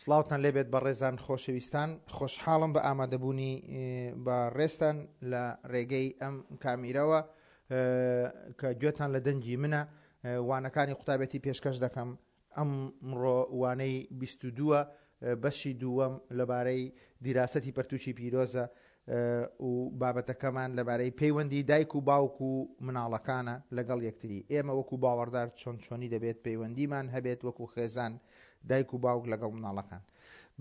سڵاوتان لێبێت بەڕێزان خۆشەویستان خۆشحاڵم بە ئامادەبوونی بە ڕێزتان لە ڕێگەی ئەم کامیرەوە کە گوێتان لە دەنگی منە وانەکانی قوتابێتی پێشکەش دەکەم ئەمڕۆ وانەی 22 بەشی دووەم لەبارەی دیراسەتی پەرتوکی پیرۆزە و بابەتەکەمان لەبارەی پەیوەندی دایک و باوک و مناڵەکانە لەگەڵ یەکتری. ئێمە وەکو باوەڕدار چۆن چۆنی دەبێت پەیوەندیمان هەبێت وەکو خێزان دایک و باوک لەگەڵ مناڵەکان.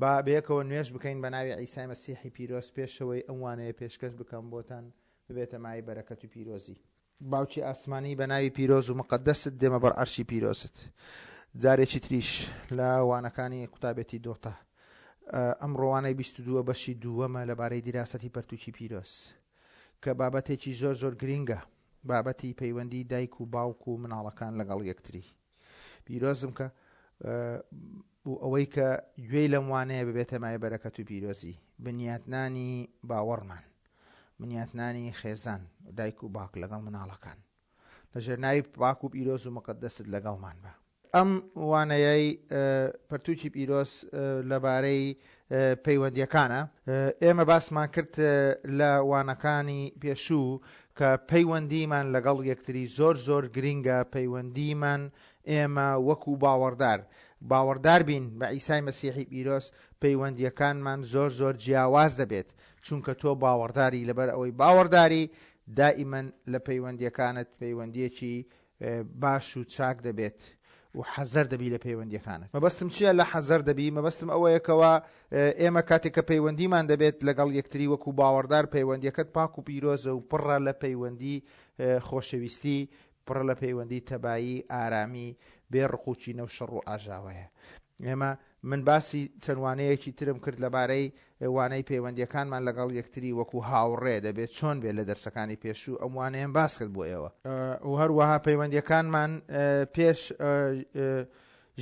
با بەیەکەوە نوێژ بکەین بە ناوی عیسای مەسیحی پیرۆز پێشەوەی ئەم وانەیە پێشکەش بکەم بۆتان ببێتە مایەی بەرەکەت و پیرۆزی. باوکی ئاسمانی بە ناوی پیرۆز و مقەدەست دێمە بەر عەرشی پیرۆزت جارێکی تریش لە وانەکانی قوتابێتی دۆتا ئەمڕۆ وانەی 22 بەشی دووەمە لەبارەی دیراسەتی پەرتوکی پیرۆز کە بابەتێکی زۆر زۆر گرینگە بابەتی پەیوەندی دایک و باوک و مناڵەکان لەگەڵ یەکتری پیرۆزم کە و ئەوەی کە گوێی لەم وانەیە ببێتە مای بەرەکەت و پیرۆزی بنیاتنانی باوەڕمان بنیاتنانی خێزان دایک و باک لەگەڵ مناڵەکان لەژێر ناوی پاک و پیرۆز و مقدست لەگەڵمان بە. ئەم وانەیەی پەرتوکی پیرۆز لەبارەی پەیوەندیەکانە ئێمە باسمان کرد لە وانەکانی پێشوو کە پەیوەندیمان لەگەڵ یەکتری زۆر زۆر گرینگە پەیوەندیمان ئێمە وەکو باوەڕدار باوەڕدار بین بە عیسای مەسیحی پیرۆز پەیوەندیەکانمان زۆر زۆر جیاواز دەبێت چونکە تۆ باوەڕداری لەبەر ئەوەی باوەڕداری دائیمەن لە پەیوەندیەکانت پەیوەندیەکی باش و چاک دەبێت و حەزەر دەبی لە پەیوەندیەکانت. مەبەستم چیە لە حەزەر دەبی؟ مەبەستم ئەوەیە کەوا ئێمە کاتێک کە پەیوەندیمان دەبێت لەگەڵ یەکتری وەکو باوەڕدار پەیوەندیەکەت پاک و پیرۆزە و پڕە لە پەیوەندی خۆشەویستی پڕە لە پەیوەندی تەبایی ئارامی بێ ڕق و کینە و شەڕ و ئاژاوەیە. ئێمە من باسی چەند وانەیەکی ترم کرد لەبارەی وانەی پەیوەندیەکانمان لەگەڵ یەکتری وەکو هاوڕێ دەبێت چۆن بێت لە دەرسەکانی پێشوو ئەم وانەیەم باس کرد بۆ ئێوە. و هەروەها پەیوەندیەکانمان پێش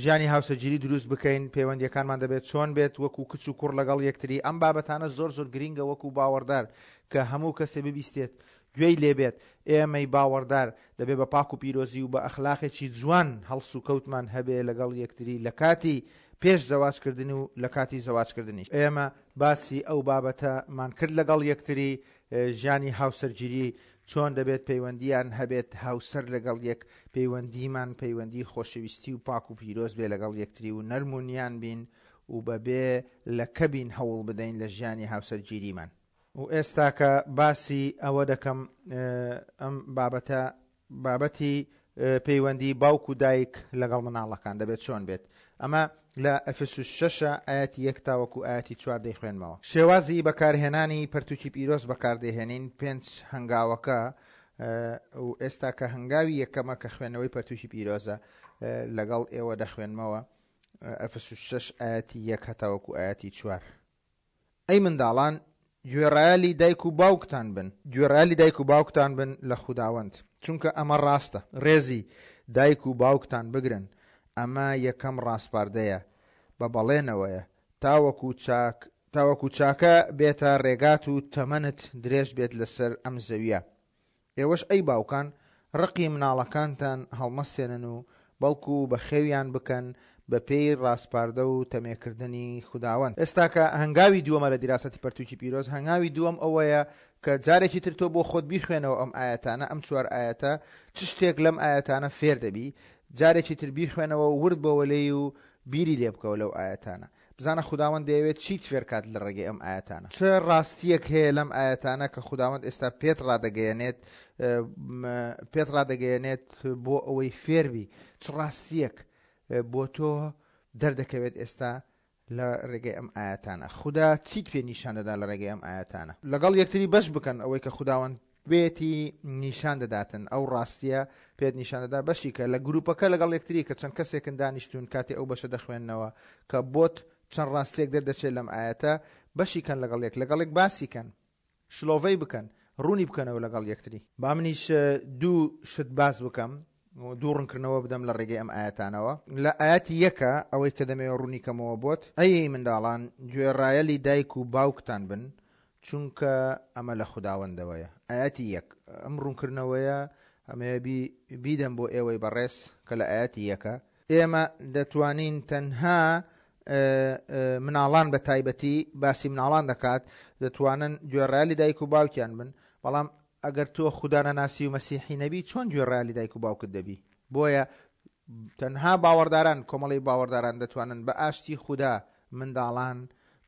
ژیانی هاوسەرگیری دروست بکەین پەیوەندیەکانمان دەبێت چۆن بێت وەکو کچ و کوڕ لەگەڵ یەکتری ئەم بابەتانە زۆر زۆر گرینگە وەکو باوەڕدار کە هەموو کەسێ ببیستێت گوێی لێ بێت، ئێمەی باوەڕدار دەبێ بە پاک و پیرۆزی و بە ئەخلاقێکی جوان هەڵسوکەوتمان هەبێ لەگەڵ یەکتری لە کاتی پێش زەواج کردن و لە کاتی زەواج کردنیش. ئێمە باسی ئەو بابەتەمان کرد لەگەڵ یەکتری، ژیانی هاوسەرگیری چۆن دەبێت پەیوەندییان هەبێت هاوسەر لەگەڵ یەک، پەیوەندیمان پەیوەندی خۆشەویستی و پاک و پیرۆز بێ لەگەڵ یەکتری و نەرم و نیان بین و بەبێ لەکە بین هەوڵ بدەین لە ژیانی هاوسەرگیریمان. و ئێستاکە باسی ئەوە دەکەم ئەم بابەتە بابەتی پەیوەندی باوک و دایک لەگەڵ مناڵەکان دەبێت چۆن بێت ئەمە لە ئەفسوس شەشە ئاەتی یەک تاوەکو ئاەتی چوار دەیخوێنمەوە شێوازی بەکارهێنانی پەرتوکی پیرۆز بەکاردەهێنین پێنج هەنگاوەکە و ئێستا کە هەنگاوی یەکەمە کە خوێندنەوەی پەرتوکی پیرۆزە لەگەڵ ئێوە دەخوێنمەوە ئەفسوس شەش ئاەتی یەک هەتاوەکو ئاەتی چوار ئەی منداڵان، گوێڕایەلی دایک و باوکتان بن. گوێڕایەلی دایک و باوکتان بن لە خوداوەند، چونکە ئەمە ڕاستە. ڕێزی دایک و باوکتان بگرن، ئەمە یەکەم ڕاسپاردەیە بە بەڵێنەوەیە، تاوەکو چاک تاوەکو چاکە بێتە ڕێگات و تەمەنت درێژ بێت لەسەر ئەم زەوییە. ئێوەش ئەی باوکان، ڕقی مناڵەکانتان هەڵمەسێنن و بەڵکو بەخێویان بکەن بەپێی ڕاسپاردە و تەمێکردنی خوداوەند. ئێستا کە هەنگاوی دووەمە لە دیراسەتی پەرتوکی پیرۆز، هەنگاوی دووەم ئەوەیە کە جارێکی تر تۆ بۆ خۆت بیخوێنەوە ئەم ئایەتانە، ئەم چوار ئایەتە، چ شتێک لەم ئایەتانە فێر دەبی، جارێکی تر بیخوێنەوە و ورد بەوە لێی و بیری لێ بکەوە لەو ئایەتانە. بزانە خوداوەند دەیەوێت چیت فێرکات لە ڕێگەی ئەم ئایەتانە. چ ڕاستییەک هەیە لەم ئایەتانە کە خوداوەند ئێستا پێت ڕادەگەیەنێت پێت ڕادەگەیەنێت بۆ ئەوەی فێربی؟ چ ڕاستییەک بۆ تۆ دەردەکەوێت ئێستا لە ڕێگەی ئەم ئایەتانە؟ خودا چیت پێ نیشان دەدا لە ڕێگەی ئەم ئایەتانە؟ لەگەڵ یەکتری بەش بکەن ئەوەی کە خوداوەند پێتی نیشان دەداتن ئەو ڕاستیە پێت نیشان دەدا بەشی کە لە گروپەکە لەگەڵ یەکتری کە چەند کەسێکن دانیشتون کاتێ ئەو بەشە دەخوێننەوە کە بۆت چەند ڕاستیەک دەردەچێت لەم ئایەتە بەشی کەن لەگەڵ یەک لەگەڵ یەک باسی کەن شلۆڤەی بکەن ڕوونی بکەنەوە لەگەڵ یەکتری. با منیش دوو شت باس بکەم دوو ڕونکردنەوە بدەم لە ڕێگەی ئەم ئایەتانەوە لە ئایەتی یەکە ئەوەی کە دەمەوێت ڕوونی کەمەوە بۆت ئەی منداڵان گوێڕایەلی دایک و باوکتان بن چونکە ئەمە لە خوداوەندەوەیە. ئایەتی یەک، ئەم ڕوونکردنەوەیە ئەمەوێ بی بیدەم بۆ ئێوەی بەڕێز کە لە ئایەتی یەکە، ئێمە دەتوانین تەنها مناڵان بە تایبەتی باسی مناڵان دەکات دەتوانن گوێڕایەلی دایک و باوکیان بن بەڵام ئەگەر تۆ خودا نەناسی و مەسیحی نەبی چۆن گوێڕایەلی دایک و باوکت دەبی بۆیە تەنها باوەڕداران کۆمەڵی باوەڕداران دەتوانن بە ئاشتی خودا منداڵان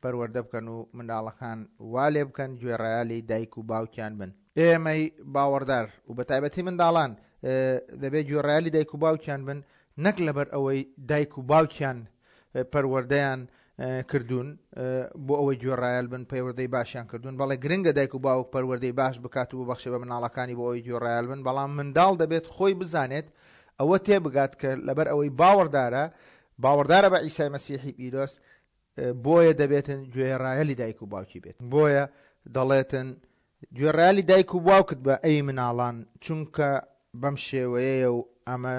پەروەردە بکەن و منداڵەکان وا لێ بکەن گوێڕایەلی دایک و باوکیان بن. ئێمەی باوەڕدار و بە تایبەتی منداڵان دەبێت گوێڕایەلی دایک و باوکیان بن نەک لەبەر ئەوەی دایک و باوکیان پەروەردەیان کردوون بۆ ئەوەی گوێڕایەل بن پەیوەردەی باشیان کردوون بەڵێ گرنگە دایک و باوک پەروەردەی باش بکات و ببەخشێ بە مناڵەکانی بۆ ئەوەی گوێڕایەل بن بەڵام منداڵ دەبێت خۆی بزانێت ئەوە تێبگات کە لەبەر ئەوەی باوەڕدارە باوەڕدارە بە عیسای مەسیحی پیرۆز بۆیە دەبێتن گوێڕایەلی دایک و باوکی بێت بۆیە دەڵێتن گوێڕایەلی دایک و باوکت بە ئەی مناڵان چونکە بەم شێوەیەیە و ئەمە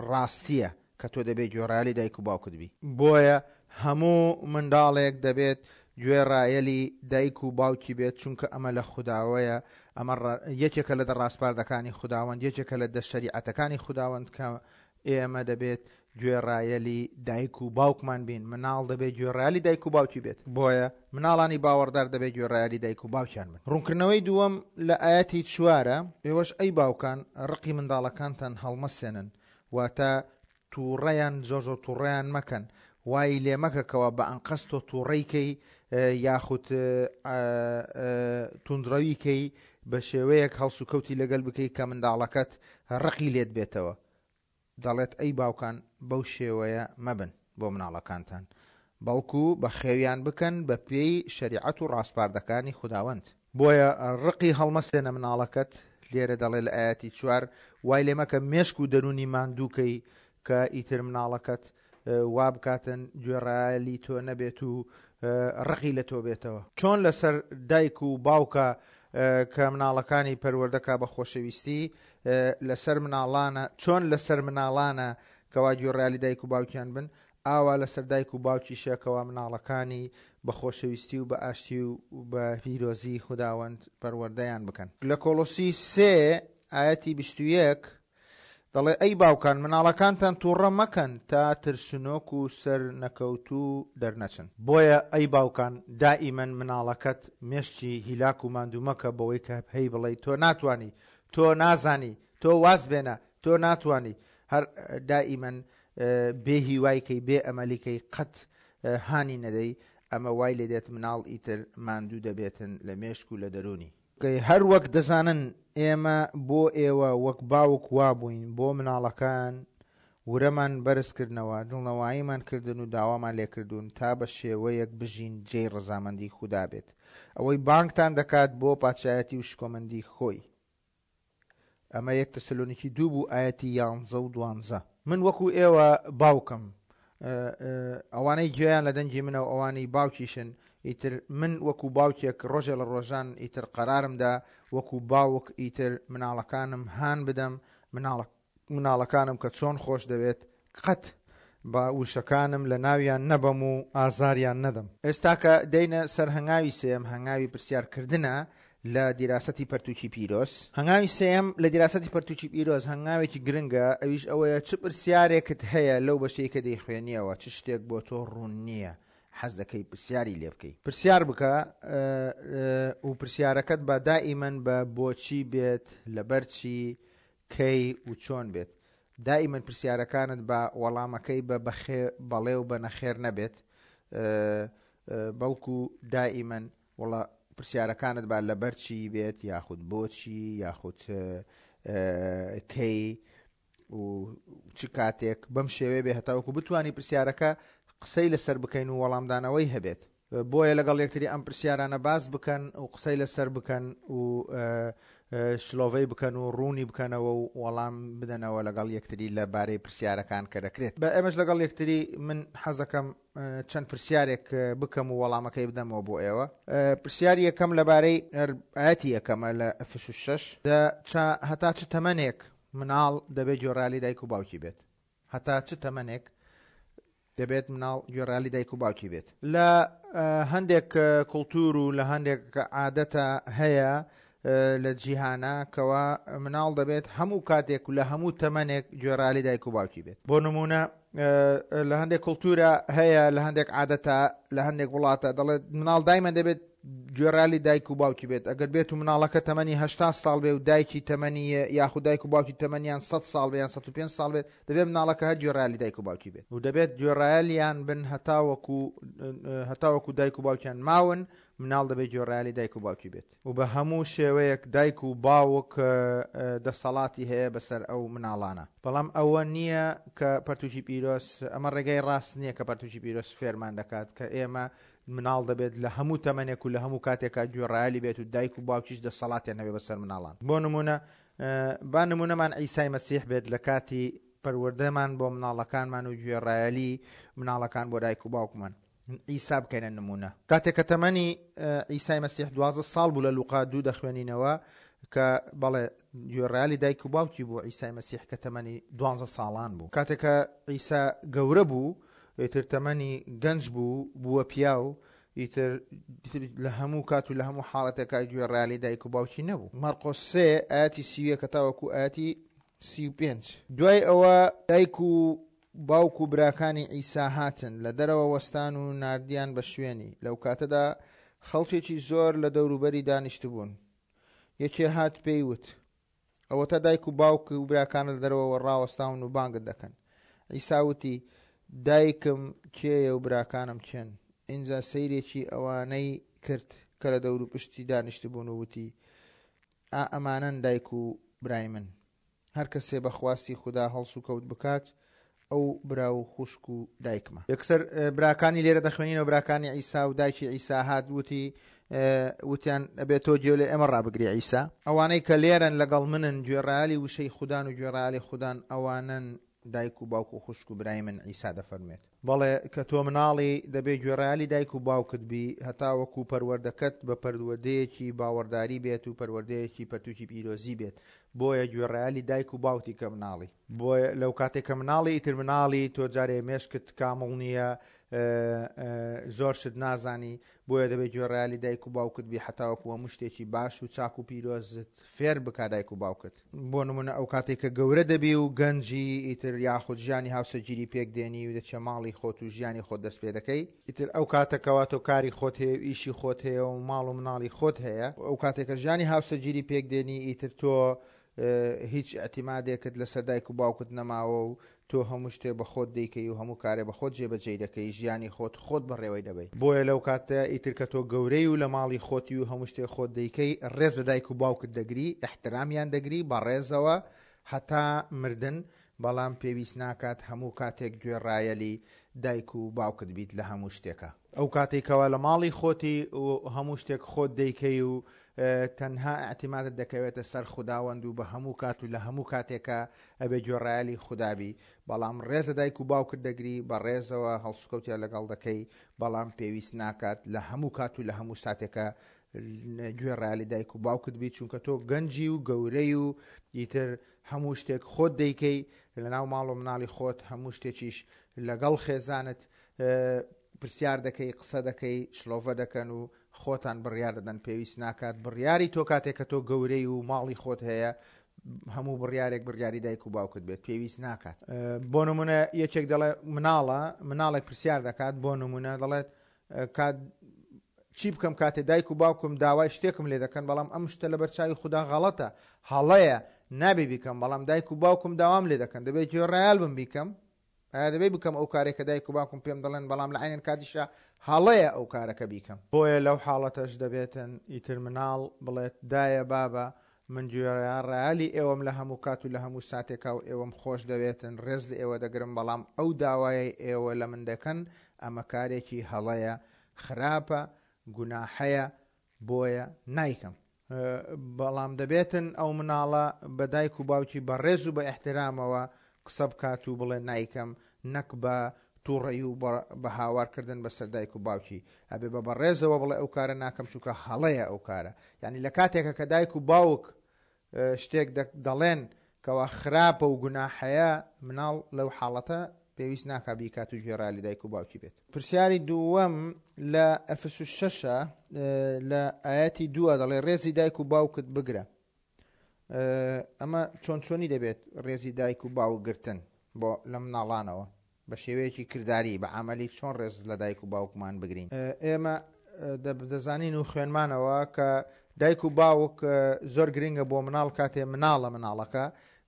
ڕاستیە کە تۆ دەبێت گوێڕایەلی دایک و باوکت بی. بۆیە هەموو منداڵێک دەبێت گوێڕایەلی دایک و باوکی بێت چونکە ئەمە لە خوداوەیە ئەمە یەکێکە لە دە ڕاسپاردەکانی خوداوەند یەکێکە لە دە شەریعەتەکانی خوداوەند کە ئێمە دەبێت گوێڕایەلی دایک و باوکمان بین، مناڵ دەبێت گوێڕایەلی دایک و باوکی بێت، بۆیە مناڵانی باوەڕدار دەبێت گوێڕایەلی دایک و باوکیان بن. ڕوونکردنەوەی دووەم لە ئایەتی چوارە، ئێوەش ئەی باوکان ڕقی منداڵەکانتان هەڵمەسێنن، واتە تووڕەیان زۆر زۆر تووڕەیان مەکەن، وای لێ مەکە کەوا بە ئەنقەست تۆ تووڕەی کەی یاخود توندڕەوی کەی، بە شێوەیەک هەڵسوکەوتی لەگەل بکەی کە منداڵەکەت ڕقی لێت بێتەوە. دەڵێت ئەی باوکان بەو شێوەیە مەبن بۆ مناڵەکانتان، بەڵکو بەخێویان بکەن بە پێی شەریعەت و ڕاسپاردەکانی خوداوەند. بۆیە ڕقی هەڵمەسێنە مناڵەکەت، لێرە دەڵێ لە ئایەتی چوار، وای لێ مەکە مێشک و دەروونی ماندوو کەی کە ئیتر مناڵەکەت وا بکاتن گوێڕایەلی تۆ نەبێت و ڕقی لە تۆ بێتەوە. چۆن لەسەر دایک و باوکە کە مناڵەکانی پەروەردەکا بە خۆشەویستی لەسەر مناڵانە چۆن لەسەر مناڵانە کەوا گوێڕایەلی دایک و باوکیان بن ئاوا لەسەر دایک و باوکیشە کەوا مناڵەکانی بە خۆشەویستی و بە ئاشتی و بە پیرۆزی خوداوەند پەروەردەیان بکەن. لە کۆڵۆسی سێ ئایەتی 21 دەڵێ ئەی باوکان مناڵەکانتان توڕە مەکەن تا ترسنۆک و سەر نەکەوتوو دەرنەچن. بۆیە ئەی باوکان دائیمەن مناڵەکەت مێشکی هیلاک و ماندوو مەکە بەوەی کە پێی بڵێی تۆ ناتوانی، تۆ نازانی، تۆ واز بێنە، تۆ ناتوانی، هەر دائیمەن بێ هیوای کەی بێ ئەمەلی کەی قەت هانی نەدەی، ئەمە وای لێدێت مناڵ ئیتر ماندوو دەبێتن لە مێشک و لە دەروونی. هەر وەک دەزانن ئێمە بۆ ئێوە وەک باوک وابووین بۆ مناڵەکان ورەمان بەرز کردنەوە، دڵنەواییمان کردن و داوامان لێکردوون تا بە شێوەیەک بژین جێی ڕەزامەندی خودا بێت، ئەوەی بانگتان دەکات بۆ پادشایەتی و شکۆمەندی خۆی. ئەمە یەک تەسەلۆنیکی دوو بوو ئایەتی یانزە و دوانزە. من وەکو ئێوە باوکم، ئەوانەی گوێیان لە دەنگی منە و ئەوانەی باوکیشن، ئیتر من وەکو باوکێک ڕۆژێ لە ڕۆژان ئیتر قەرارم دا وەکو باوک ئیتر مناڵەکانم هان بدەم، مناڵەکانم کە چۆن خۆش دەوێت قەت با وشەکانم لە ناویان نەبەم و ئازاریان نەدەم. ئێستا کە دێینە سەر هەنگاوی سێیەم، هەنگاوی پرسیار کردنە لە دیراسەتی پەرتووکی پیرۆز. هەنگاوی سێیەم لە دیراسەتی پەرتووکی پیرۆز هەنگاوێکی گرنگە، ئەویش ئەوەیە چ پرسیارێکت هەیە لەو بەشەی کە دەیخوێنیەوە، چ شتێک بۆ تۆ ڕوون نییە، حەز دەکەی پرسیاری لێ بکەی. پرسیار بکە و پرسیارەکەت با دائیمەن بە بۆچی بێت، لەبەر چی، کەی و چۆن بێت. دائیمەن پرسیارەکانت با وەڵامەکەی بە بەخێ بەڵێ و بە نەخێر نەبێت بەڵکو دائیمەن وەڵا پرسیارەکانت با لەبەر چی بێت یاخود بۆچی یاخود کەی و چ کاتێک بەم شێوەیە بێ هەتاوەکو بتانی پرسیارەکە قسەی لەسەر بکەین و وەڵامدانەوەی هەبێت. بۆیە لەگەڵ یەکتری ئەم پرسیارانە باس بکەن و قسەی لەسەر بکەن و شلۆڤەی بکەن و ڕوونی بکەنەوە و وەڵام بدەنەوە لەگەڵ یەکتری لە بارەی پرسیارەکان کە دەکرێت بە ئێمەش لەگەڵ یەکتری من حەزەکەم چەند پرسیارێک بکەم و وەڵامەکەی بدەمەوە بۆ ئێوە پرسیاری یەکەم لەبارەی ئاەتی یەکەمە لە ئەفس و شەش هەتا چ تەمەنێک مناڵ دەبێت گوێڕالی دایک و باوکی بێت هەتا چ تەمەنێک دەبێت مناڵ گوێڕایەلی دایک و باوکی بێت؟ لە هەندێک کڵتور و لە هەندێک عادەتە هەیە. لە جیهانە کەوا مناڵ دەبێت هەموو کاتێک و لە هەموو تەمەنێک گوێڕایەلی دایک و باوکی بێت. بۆ نموونە لە هەندێک کڵتورە هەیە لە هەندێک عادەتە لە هەندێک وڵاتە دەڵێت مناڵ دایمە دەبێت گوێڕالی دایک و باوکی بێت ئەگەر بێت و مناڵەکە تەمەنی هشتا ساڵ بێ و دایکی تەمەنی یاخود دایک و باوکی تەمەنیان 100 ساڵ بێ یان 105 ساڵ بێت دەبێت مناڵەکە هەر گوێڕالی دایک و باوکی بێت و دەبێت گوێڕایەلیان بن هەتاوەکو هەتاوەکو دایک و باوکیان ماون مناڵ دەبێت گوێڕایەلی دایک و باوکی بێت و بە هەموو شێوەیەک دایک و باوک دەسەڵاتی هەیە بەسەر ئەو مناڵانە. بەڵام ئەوە نییە کە پەرتوکی پیرۆز، ئەمە ڕێگای ڕاست نییە کە پەرتوکی پیرۆز فێرمان دەکات کە ئێمە مناڵ دەبێت لە هەموو تەمەنێک و لە هەموو کاتێکا گوێڕایەلی بێت و دایک و باوکیش دەسەڵاتیان هەبێت بەسەر مناڵان. بۆ نموونە با نموونەمان عیسای مەسیح بێت لە کاتی پەروەردەمان بۆ مناڵەکانمان و گوێڕایەلی مناڵەکان بۆ دایک و باوکمان. عیسا بکەینە نموونە. کاتێک کە تەمەنی عیسای مەسیح 12 ساڵ بوو لە لوقا دوو دەخوێنینەوە کە بەڵێ گوێڕایەلی دایک و باوکی بوو عیسای مەسیح کە تەمەنی دوانزە ساڵان بوو. کاتێک کە عیسا گەورە بوو ئیتر تەمەنی گەنج بوو بووە پیاو ئیتر لە هەموو کات و لە هەموو حاڵەتێکا گوێڕایەلی دایک و باوکی نەبوو. مەرقۆس سێ ئایەتی 31 تاوەکو ئایەتی 35. دوای ئەوە دایک و باوک و براکانی عیسا هاتن، لە دەرەوە وەستان و ناردیان بە شوێنی. لەو کاتەدا خەڵکێکی زۆر لە دەوروبەری دانیشتبوون. یەکێ هات پێی وت، ئەوەتا دایک و باوک و براکانت لە دەرەوە ڕاوەستاون و بانگت دەکەن. عیسا وتی، دایکم کێیە و براکانم کێن؟ ئینجا سەیرێکی ئەوانەی کرد کە لە دەوروپشتی دانیشتبوون و وتی، ئا ئەمانەن دایک و برای من. هەر کەسێ بە خواستی خودا هەڵسوکەوت بکات، ئەو برا و خوشک و دایکمە. یەکسەر براکانی لێرە دەخوێنینەوە، براکانی عیسا و دایکی عیسا هات وتی، وتیان ئەبێ تۆ گوێ لە ئێمە ڕابگری عیسا. ئەوانەی کە لێرەن لەگەڵ منن گوێڕایەلی وشەی خودان و گوێڕایەلی خودان، ئەوانەن دایک و باوک و خوشک و برای من، عیسا دەفەرموێت. بەڵێ، کە تۆ مناڵی، دەبێ گوێڕایەلی دایک و باوکت بی، هەتاوەکو پەروەردەکەت بە پەروەردەیەکی باوەڕداری بێت و پەروەردەیەکی پەرتوکی پیرۆزی بێت. بۆیە گوێڕایەلی دایک و باوکتی کە مناڵی. بۆیە لەو کاتێک کە مناڵی، ئیتر مناڵی، تۆ جارێ مێشکت کامڵ نییە، زۆر شت نازانی، بۆیە دەبێ گوێڕایەلی دایک و باوکت بی هەتاوەکو هەموو شتێکی باش و چاک و پیرۆزت فێر بکا دایک و باوکت. بۆ نمونە ئەو کاتەی کە گەورە دەبی و گەنجی ئیتر یاخود ژیانی هاوسەرگیری پێک دێنی و دەچیە ماڵی خۆت و ژیانی خۆت دەست پێ دەکەی، ئیتر ئەو کاتە کەوا تۆ کاری خۆت هەیە و ئیشی خۆت هەیە و ماڵ و مناڵی خۆت هەیە، ئەو کاتێک کە ژیانی هاوسەرگیری پێک دێنی ئیتر تۆ هیچ ئیعتیمادێکت لەسەر دایک و باوکت نەماوە و تۆ هەموو شتێ بە خۆت دەیکەی و هەموو کارێ بە خۆت جێبەجێی دەکەی، ژیانی خۆت خۆت بەڕێوەی دەبەی. بۆیە لەو کاتە ئیتر کە تۆ گەورەی و لە ماڵی خۆتی و هەموو شتێ خۆت دەیکەی، ڕێز لە دایک و باوکت دەگری، ئیحترامیان دەگری بە ڕێزەوە هەتا مردن، بەڵام پێویست ناکات هەموو کاتێک گوێڕایەلی دایک و باوکت بیت لە هەموو شتێکا. ئەو کاتەی کەوا لە ماڵی خۆتی و هەموو شتێک خۆت دەیکەی و تەنها ئیعتیمادت دەکەوێتە سەر خوداوەند و بە هەموو کات و لە هەموو کاتێکا ئەبێ گوێڕایەلی خودا بی بەڵام ڕێز لە دایک و باوکت دەگری بە ڕێزەوە هەڵسوکەوتیان لەگەڵ دەکەی بەڵام پێویست ناکات لە هەموو کات و لە هەموو ساتێکا گوێڕایەلی دایک و باوکت بی چونکە تۆ گەنجی و گەورەی و ئیتر هەموو شتێک خۆت دەیکەی لەناو ماڵ و مناڵی خۆت هەموو شتێکیش لەگەڵ خێزانت پرسیار دەکەی قسە دەکەی شڵۆڤە دەکەن و خۆتان بڕیار دەدەن پێویست ناکات بڕیاری تۆ کاتێک کە تۆ گەورەی و ماڵی خۆت هەیە هەموو بڕیارێک بڕیاری دایک و باوکت بێت پێویست ناکات بۆ نمونە یەکێک دەڵێ مناڵە مناڵێک پرسیار دەکات بۆ نمونە دەڵێت کات چی بکەم کاتێ دایک و باوکم داوای شتێکم لێ دەکەن بەڵام ئەم شتە لەبەر چاوی خودا غەڵەتە هەڵەیە نابێ بیکەم بەڵام دایک و باوکم داوام لێ دەکەن دەبێت گوێڕایەل بم بیکەم ئایا دەبێ بکەم ئەو کارەی کە دایک و باوکم پێم دەڵێن بەڵام لە عەینەن کاتیشا هەڵەیە ئەو کارەکە بیکەم. بۆیە لەو حاڵەتەش دەبێتن ئیتر مناڵ بڵێت دایە بابە من گوێڕایەلی ئێوەم لە هەموو کات و لە هەموو ساتێکا و ئێوەم خۆش دەوێتن ڕێز لە ئێوە دەگرم بەڵام ئەو داوایەی ئێوە لە من دەکەن ئەمە کارێکی هەڵەیە خراپە گوناحەیە بۆیە نایکەم. بەڵام دەبێتن ئەو مناڵە بە دایک و باوکی بە ڕێز و بە ئیحترامەوە قسە بکات و بڵێ نایکەم نەک بە توڕەیی و بە هاوار کردن بەسەر دایک و باوکی ئەبێ بە بەڕێزەوە بڵێ ئەو کارە ناکەم چونکە هەڵەیە ئەو کارە یعنی لە کاتێکە کە دایک و باوک شتێک دەڵێن کەوا خراپە و گوناحەیە مناڵ لەو حاڵەتە پێویست ناکا بیکات و گوێڕایەلی دایک و باوکی بێت. پرسیاری دووەم لە ئەفسوس شەشە. لە ئایەتی دووە دەڵێ ڕێزی دایک و باوکت بگرە. ئەمە چۆن چۆنی دەبێت ڕێزی دایک و باوک گرتن بۆ لە مناڵانەوە بە شێوەیەکی کرداری بە عملی چۆن ڕێز لە دایک و باوکمان بگرین؟ ئێمە دەزانین و خوێنمانەوە کە دایک و باوک زۆر گرنگە بۆ مناڵ کاتێ مناڵە مناڵەکە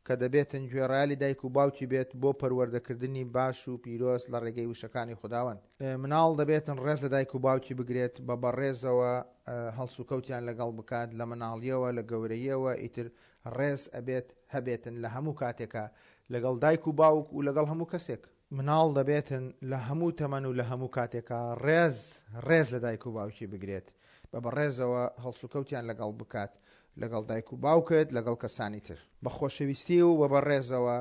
کە دەبێتن گوێڕایەلی دایک و باوکی بێت بۆ پەروەردەکردنی باش و پیرۆز لە ڕێگەی وشەکانی خوداوەند. مناڵ دەبێتن ڕێز لە دایک و باوکی بگرێت، بە بەڕێزەوە هەڵسوکەوتیان لەگەڵ بکات، لە مناڵیەوە لە گەورەییەوە ئیتر ڕێز ئەبێت هەبێتن لە هەموو کاتێکا لەگەڵ دایک و باوک و لەگەڵ هەموو کەسێک. مناڵ دەبێتن لە هەموو تەمەن و لە هەموو کاتێکا ڕێز ڕێز لە دایک و باوکی بگرێت، بە بەڕێزەوە هەڵسوکەوتیان لەگەڵ بکات، لەگەڵ دایک و باوکت، لەگەڵ کەسانی تر. بە خۆشەویستی و بە بەڕێزەوە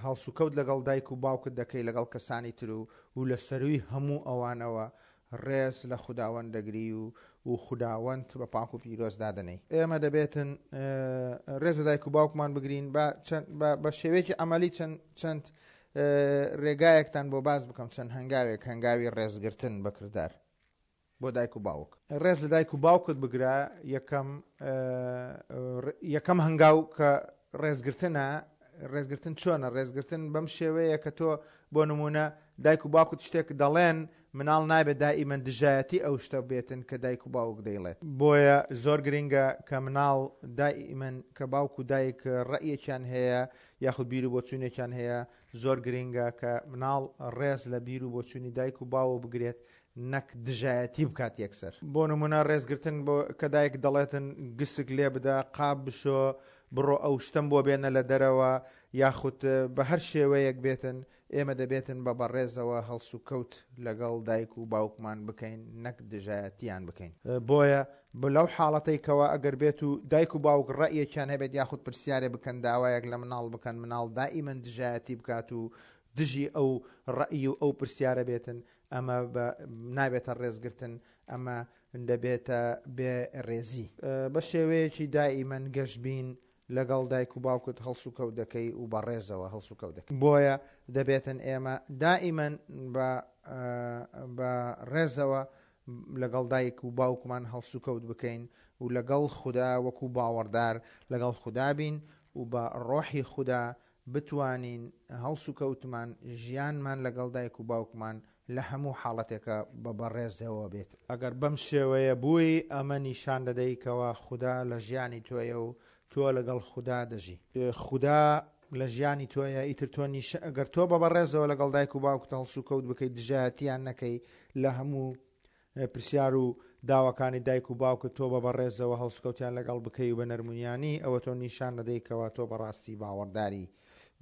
هەڵسوکەوت لەگەڵ دایک و باوکت دەکەی، لەگەڵ کەسانی تر و و لە سەرووی هەموو ئەوانەوە ڕێز لە خوداوەند دەگری و و خوداوەند بە پاک و پیرۆز دادەنێی. ئێمە دەبێتن ڕێز لە دایک و باوکمان بگرین. با چەند بە شێوەیەکی عەمەلی چەند چەند ڕێگایەکتان بۆ باس بکەم، چەند هەنگاوێک، هەنگاوی ڕێزگرتن بە کردار بۆ دایک و باوک. ڕێز لە دایک و باوکت بگرە، یەکەم یەکەم هەنگاو کە ڕێزگرتنە، ڕێزگرتن چۆنە؟ ڕێزگرتن بەم شێوەیە کە تۆ بۆ نمونە دایک و باوکت شتێک دەڵێن، مناڵ نابێت دائیمەن دژایەتی ئەو شتە بێتن کە دایک و باوک دەیڵێت. بۆیە زۆر گرنگە کە مناڵ دائیمەن کە باوک و دایک ڕەئیەکیان هەیە یاخود بیر و بۆچوونێکیان هەیە، زۆر گرنگە کە مناڵ ڕێز لە بیر و بۆچوونی دایک و باوک بگرێت نەک دژایەتی بکات یەکسەر. بۆ نموونە ڕێزگرتن بۆ کە دایک دەڵێتن گسک لێ بدە، قاپ بشۆ، بڕۆ ئەو شتەم بۆ بێنە لە دەرەوە یاخود بە هەر شێوەیەک بێتن، ئێمە دەبێتن بە بەڕێزەوە هەڵسوکەوت لەگەڵ دایک و باوکمان بکەین نەک دژایەتیان بکەین. بۆیە لەو حاڵەتەی کەوا ئەگەر بێت و دایک و باوک ڕەئیەکیان هەبێت یاخود پرسیارێ بکەن داوایەک لە مناڵ بکەن مناڵ دائیمەن دژایەتی بکات و دژی ئەو ڕەئی و ئەو پرسیارە بێتن ئەمە بە نابێتە ڕێزگرتن ئەمە دەبێتە بێ ڕێزی. بە شێوەیەکی دائیمەن گەشبین لەگەڵ دایک و باوکت هەڵسوکەوت دەکەی و بە ڕێزەوە هەڵسوکەوت دەکەی. بۆیە دەبێتن ئێمە دائیمەن بە بە ڕێزەوە لەگەڵ دایک و باوکمان هەڵسوکەوت بکەین و لەگەڵ خودا وەکو باوەڕدار لەگەڵ خودا بین و بە ڕۆحی خودا بتوانین هەڵسوکەوتمان، ژیانمان لەگەڵ دایک و باوکمان لە هەموو حاڵەتێکا بە بەڕێزەوە بێت. ئەگەر بەم شێوەیە بووی، ئەمە نیشان دەدەی کەوا خودا لە ژیانی تۆیە و تۆ لەگەڵ خودا دەژی. خودا لە ژیانی تۆیە، ئیتر تۆ نیش ئەگەر تۆ بە بەڕێزەوە لەگەڵ دایک و باوکت هەڵسوکەوت بکەی، دژایەتیان نەکەی لە هەموو پرسیار و داواکانی دایک و باوکت تۆ بە بەڕێزەوە هەڵسوکەوتیان لەگەڵ بکەی و بە نەرمونیانی، ئەوە تۆ نیشان دەدەی کەوا تۆ بەڕاستی باوەڕداری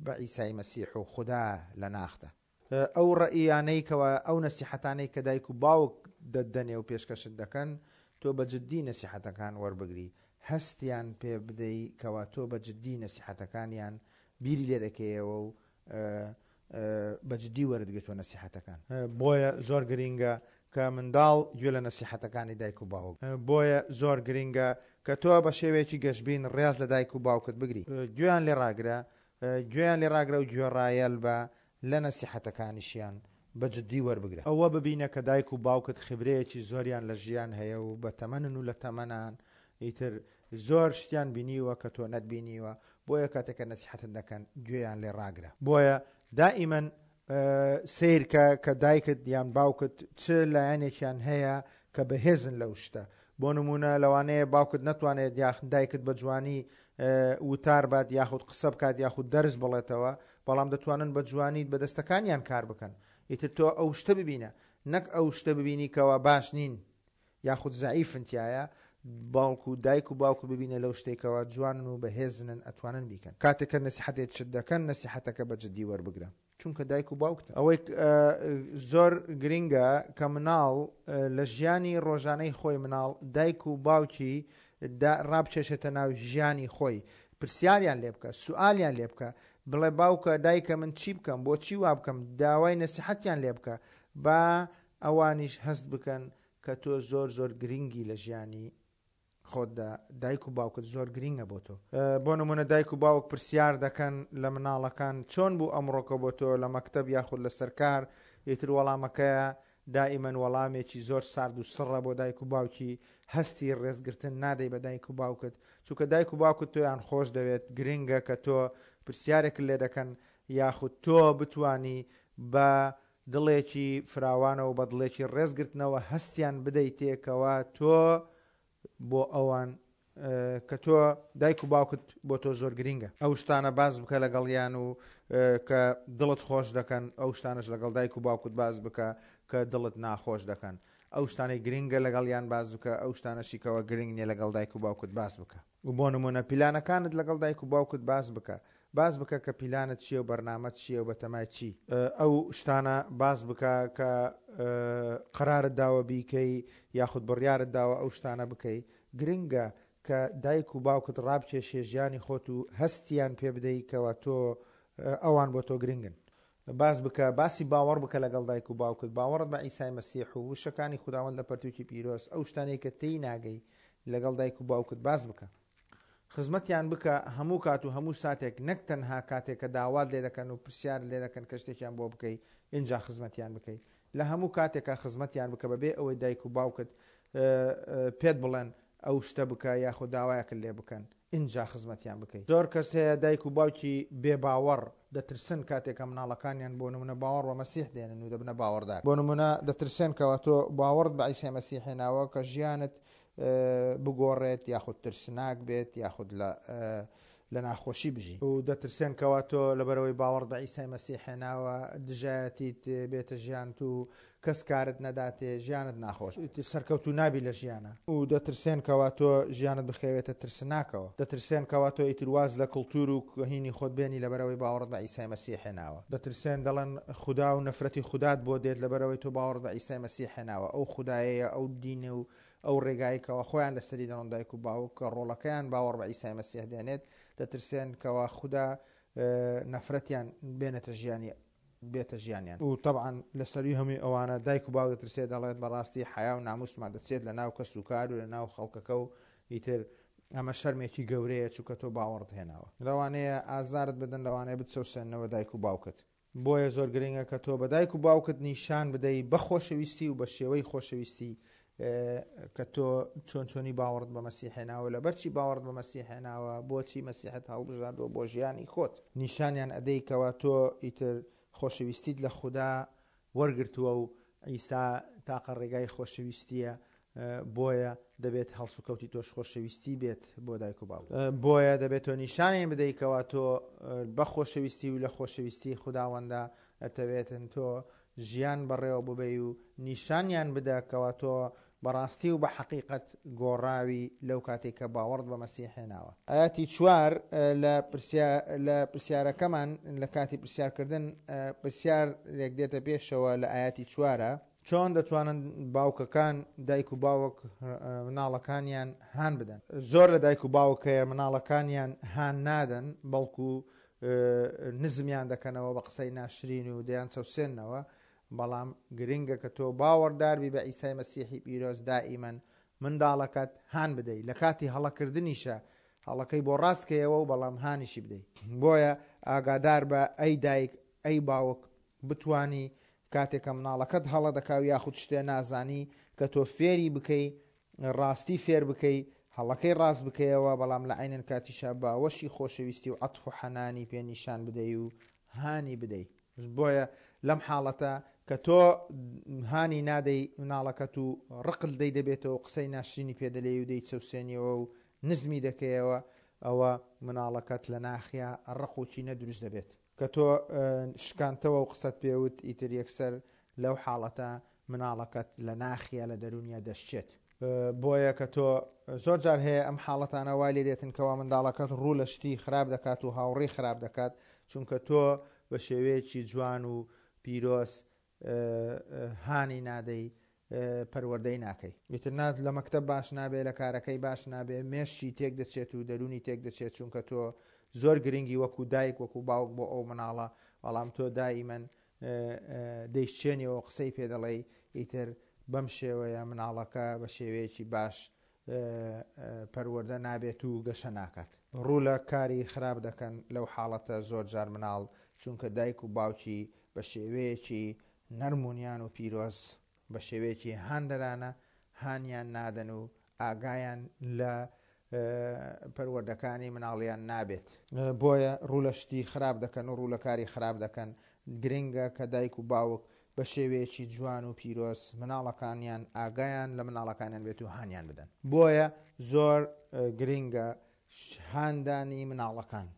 بە عیسای مەسیح و خودا لە ناختە. ئەو ڕەئیانەی کەوا ئەو نەسیحەتانەی کە دایک و باوک دەتدەنێ و پێشکەشت دەکەن، تۆ بە جدی نەسیحەتەکان وەربگری، هەستیان پێ بدەی کەوا تۆ بە جدی نەسیحەتەکانیان بیری لێ دەکەیەوە و بە جدی وەرت گرتوە نەسیحەتەکان. بۆیە زۆر گرینگە کە منداڵ گوێ لە نەسیحەتەکانی دایک و باوک. بۆیە زۆر گرینگە کە تۆ بە شێوەیەکی گەشبین ڕێز لە دایک و باوکت بگری. گوێیان لێ ڕاگرە، گوێیان لێ ڕاگرە و گوێڕایەل بە لە نەسیحەتەکانیشیان بە جدی وەربگرە. ئەوە ببینە کە دایک و باوکت خیبرەیەکی زۆریان لە ژیان هەیە و بە تەمەنن و لە تەمەنان ئیتر زۆر شتیان بینیوە کە تۆ نەتبینیوە، بۆیە کاتێک کە نەسیحەتت دەکەن گوێیان لێ ڕاگرە. بۆیە دائیمەن سەیرکە کە دایکت یان باوکت چ لایەنێکیان هەیە کە بەهێزن لەو شتە. بۆ نموونە لەوانەیە باوکت نەتوانێت یاخ دایکت بە جوانی وتار بات یاخود قسە بکات یاخود دەرس بڵێتەوە، بەڵام دەتوانن بە جوانی بە دەستەکانیان کار بکەن. ئیتر تۆ ئەو شتە ببینە نەک ئەو شتە ببینی کەوا باش نین یاخود زەعیفن تیایا، بەڵکو دایک و باوکت ببینە لەو شتەی کەوا جوانن و بەهێزنن ئەتوانن بیکەن. کاتێک کە نەسیحەتێکت دەکەن نەسیحەتەکە بە جدی وەربگرە چونکە دایک و باوکتە. ئەوەی زۆر گرینگە کە مناڵ لە ژیانی ڕۆژانەی خۆی مناڵ دایک و باوکی ڕابکێشێتە ناو ژیانی خۆی پرسیاریان لێ بکە سوالیان لێ بکە بڵێ باوکە دایکە من چی بکەم بۆچی وا بکەم داوای نەسیحەتیان لێ بکە با ئەوانیش هەست بکەن کە تۆ زۆر زۆر گرینگی لە ژیانی خۆتدا دایک و باوکت زۆر گرینگە بۆ تۆ. بۆ نمونە دایک و باوک پرسیار دەکەن لە مناڵەکان چۆن بوو ئەمڕۆکە بۆ تۆ لە مەکتەب یاخود لەسەر کار ئیتر وەڵامەکەیە دائیمەن وەڵامێکی زۆر سارد و سڕە بۆ دایک و باوکی، هەستی ڕێزگرتن نادەی بە دایک و باوکت، چونکە دایک و باوکت تۆیان خۆش دەوێت، گرنگە کە تۆ پرسیارێکت لێ دەکەن یاخود تۆ بتوانی بە دڵێکی فراوانەوە و بە دڵێکی ڕێزگرتنەوە هەستیان بدەیتێ کەوا تۆ بۆ ئەوان کە تۆ دایک و باوکت بۆ تۆ زۆر گرینگە. ئەو شتانە باس بکە لەگەڵیان و کە دڵت خۆش دەکەن، ئەو شتانەش لەگەڵ دایک و باوکت باس بکە کە دڵت ناخۆش دەکەن. ئەو شتانەی گرینگە لەگەڵیان باس بکە، ئەو شتانەشی کەوا گرینگ نیە لەگەڵ دایک و باوکت باس بکە. بۆ نموونە پیلانەکانت لەگەڵ دایک و باوکت باس بکە، باس بکە کە پیلانت چیە و بەرنامەت چیە و بەتەمای چی. ئەو شتانە باس بکە کە قەرارت داوە بیکەی یاخود بڕیارت داوە ئەو شتانە بکەی. گرنگە کە دایک و باوکت ڕابکێشیە ژیانی خۆت و هەستیان پێ بدەی کەوا تۆ ئەوان بۆ تۆ گرنگن. باس بکە، باسی باوەڕ بکە لەگەڵ دایک و باوکت، باوەڕت بە عیسای مەسیح و وشەکانی خوداوەند لە پەرتووکی پیرۆز، ئەو شتانەی کە تێی ناگەی لەگەڵ دایک و باوکت باس بکە. خزمەتیان بکە هەموو کات و هەموو ساتێک نەک تەنها کاتێک کە داوات لێ دەکەن و پرسیارت لێ دەکەن کە شتێکیان بۆ بکەی ئینجا خزمەتیان بکەی لە هەموو کاتێکا خزمەتیان بکە بەبێ ئەوەی دایک و باوکت پێت بڵێن ئەو شتە بکە یاخود داوایەکت لێ بکەن ئینجا خزمەتیان بکەی. زۆر کەس هەیە دایک و باوکی بێ باوەڕ دەترسن کاتێک کە مناڵەکانیان بۆ نمونە باوەڕ بە مەسیح دێنن و دەبنە باوەڕدار بۆ نمونە دەترسێن کەوا تۆ باوەڕت بە عیسای مەسیح هێناوە کە ژیانت بگۆڕێت یاخود ترسناک بێت یاخود لە لە ناخۆشی بژی. و دەترسێن کەوا تۆ لەبەرئەوەی باوەڕت بە عیسای مەسیح هێناوە دژایەتیت بێتە ژیانت و کەس کارت نەداتێ ژیانت ناخۆش ئیتر سەرکەوتوو نابی لە ژیانا. و دەترسێن کەوا تۆ ژیانت بخەوێتە ترسناکەوە. دەترسێن کەوا تۆ ئیتر واز لە کڵتور و هینی خۆت بێنی لەبەرئەوەی باوەڕت بە عیسای مەسیح هێناوە. دەترسێن دەڵێن خودا و نەفرەتی خودات بۆ دێت لەبەرئەوەی تۆ باوەڕت بە عیسای مەسیح هێناوە. ئەو خودایەیە ئەو دینە و ئەو ڕێگایەی کەوا خۆیان لەسەری دەڕۆن دایک و باوک کە ڕۆڵەکەیان باوەڕ بە عیسای مەسیح دێنێت دەترسێن کەوا خودا نەفرەتیان بێنێتە ژیانی بێتە ژیانیان و تەبعەن لە سەروی هەمووی ئەوانە دایک و باوک دەترسێت دەڵێت بەڕاستی حەیا و ناموسمان دەچێت لە ناو کەس و کار و لە ناو خەڵکەکە و ئیتر ئەمە شەرمێکی گەورەیە چونکە تۆ باوەڕت هێناوە لەوانەیە ئازارت بدەن لەوانەیە بتچەوسێننەوە دایک و باوکت. بۆیە زۆر گرنگە کە تۆ بە دایک و باوکت نیشان بدەی بە خۆشەویستی و بە شێوەی خۆشەویستی کە تۆ چۆن چۆنی باوەڕت بە مەسیح هێناوە لەبەرچی باوەڕت بە مەسیح هێناوە بۆچی مەسیحت هەڵبژاردووە بۆ ژیانی خۆت نیشانیان ئەدەی کەوا تۆ ئیتر خۆشەویستیت لە خودا وەرگرتووە و عیسا تاقە ڕێگای خۆشەویستیە بۆیە دەبێت هەڵسوکەوتی تۆش خۆشەویستی بێت بۆ دایک و باوک. بۆیە دەبێت تۆ نیشانیان بدەی کەوا تۆ بە خۆشەویستی و لە خۆشەویستی خوداوەندا ئەتەوێتن تۆ ژیان بەڕێوە ببەی و نیشانیان بدە کەوا تۆ بەڕاستی و بە حەقیقەت گۆڕاوی لەو کاتەی کە باوەڕت بە مەسیح هێناوە. ئایەتی چوار لە لە پرسیارەکەمان لە کاتی پرسیارکردن پرسیارێک دێتە پێشەوە لە ئایەتی چوارە. چۆن دەتوانن باوکەکان، دایک و باوک، مناڵەکانیان هان بدەن؟ زۆر لە دایک و باوک هەیە مناڵەکانیان هان نادەن، بەڵکو نزمیان دەکەنەوە بە قسەی ناشرین و دەیانچەوسێننەوە، بەڵام گرنگە کە تۆ باوەڕدار بی بە عیسای مەسیحی پیرۆز دائیمەن منداڵەکەت هان بدەی، لە کاتی هەڵەکردنیشا هەڵەکەی بۆ ڕاست کەیەوە و بەڵام هانیشی بدەی. بۆیە ئاگادار بە ئەی دایک ئەی باوک بتوانی کاتێ کە مناڵەکەت هەڵە دەکا و یاخود شتێ نازانی کە تۆ فێری بکەی ڕاستی فێر بکەی هەڵەکەی ڕاست بکەیەوە بەڵام لە عەینەن کاتیشا باوەشی خۆشەویستی و عەتف و حەنانی پێ نیشان بدەی و هانی بدەی بۆیە لەم حاڵەتە کە تۆ هانی نادەی مناڵەکەت و ڕقت لێی دەبێتەوە و قسەی ناشرینی پێ دەلێی و دەیچەوسێنیەوە و نزمی دەکەیەوە ئەوە مناڵەکەت لە ناخیا ڕق و کینە دروست دەبێت. کە تۆ شکانتەوە و قسەت پێ وت ئیتر یەکسەر لەو حاڵەتە مناڵەکەت لە ناخیا لە دەروونیا دەشچێت. بۆیە کە تۆ زۆر جار هەیە ئەم حاڵەتانە وای لێ دێتن کەوا منداڵەکەت ڕوو لە شتی خراپ دەکات و هاوڕێی خراپ دەکات چونکە تۆ بە شێوەیەکی جوان و پیرۆز هانی نادەی پەروەردەی ناکەی. ئیتر نا لە مەکتەب باش نابێ لە کارەکەی باش نابێ مێشکی تێک دەچێت و دەروونی تێک دەچێت چونکە تۆ زۆر گرنگی وەکو دایک وەکو باوک بۆ ئەو مناڵە بەڵام تۆ دائیمەن دەیشچێنیەوە قسەی پێ دەڵێی ئیتر بەم شێوەیە مناڵەکە بە شێوەیەکی باش پەروەردە نابێت و گەشە ناکات. ڕوو لە کاری خراپ دەکەن لەو حاڵەتە زۆر جار مناڵ چونکە دایک و باوکی بە شێوەیەکی نەرم و نیان و پیرۆز. بە شێوەیەکی هاندەرانە هانیان نادەن و ئاگایان لە پەروەردەکانی مناڵیان نابێت. بۆیە ڕوو لە شتی خراپ دەکەن و ڕوو لە کاری خراپ دەکەن، گرنگە کە دایک و باوک بە شێوەیەکی جوان و پیرۆز مناڵەکانیان ئاگایان لە مناڵەکانیان بێت و هانیان بدەن. بۆیە زۆر گرنگە هاندانی مناڵەکان،